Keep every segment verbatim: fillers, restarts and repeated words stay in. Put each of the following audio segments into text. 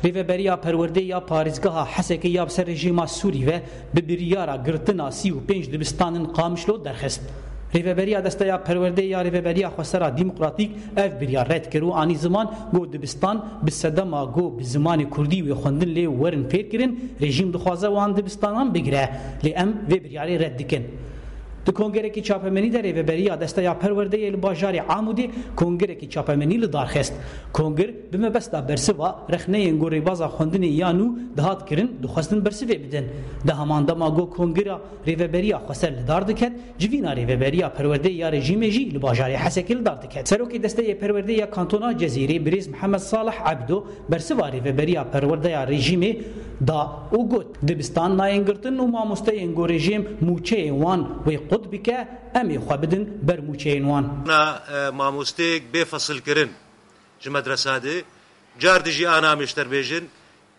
Rêveberiya Perwerdê ya Parêzgeha Hesekê ya bi ser rejîma Sûrî ve bi biryara girtina sî û pênc dibistanên Qamişlo derxist. Rêveberiya Desteya Perwerdê ya Rêveberiya Xwesera Demokratîk ev biryar red kir û anî ziman ku dibistan bi sedema ku bi zimanê kurdî wê xwendin lê werin fêrkirin, rejîm dixwaze wan dibistanan bigire, lê em vê biryarê red dikin. Di kongerekî çapemenî de Rêveberiya Desteya Perwerdeyê li bajarê Amûdê kongerekî çapemenî li dar xist. Kongir bi mebesta bersiva rexneyên ku rêbaza xwendinê ya nû dihat kirin, dixwestin bersivê bidin. Di heman dema ku kongira Rêveberiya Xweser li dar diket, civîna Rêveberiya Perwerdeyê ya rejîmê jî li bajarê Hesekê li dar diket. Serokê Desteyê Perwerdeyê ya Kantona Cezîrê, birêz Mihemed Salih Ebdo, bersiva Rêveberiya Perwerdeya rejîmê da û got, dibistan nayên girtin û mamosteyên ku rejîm mûçeyên wan wê qut bike, em ê xwe bidin ber mûçeyên wan. Na, e, mamosteyek bê fesilkirin ji medresa de, car dijî ana mêşter bêjin,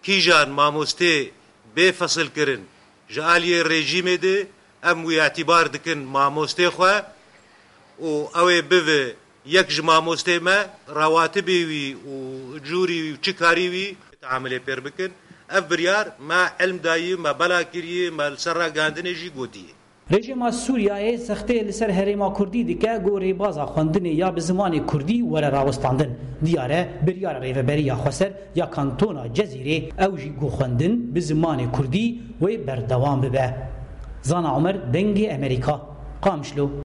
kîjan mamostê bê fesilkirin ji aliyê rejîmê de, em wî îtîbar dikin mamostê xwe û ew ê bive yek ji mamostê me, rawatibê wî û cûrî wî û çi karî wî teamilê pêr bikin. Ev biryar me ilm dayî, me bela kirî, me li ser ragihandinê jî gotî. Rejîma Sûriyeyê zextê li ser herêma Kurdî dike ku rêbaza xwendinê ya bi zimanê Kurdî were rawestandin. Diyar e, biryara Rêveberiya Xweser ya Kantona Cezîrê ew jî ku xwendin bi zimanê Kurdî wê berdewam bibe. Zana Omer, Dengê Emerîka, Qamişlo.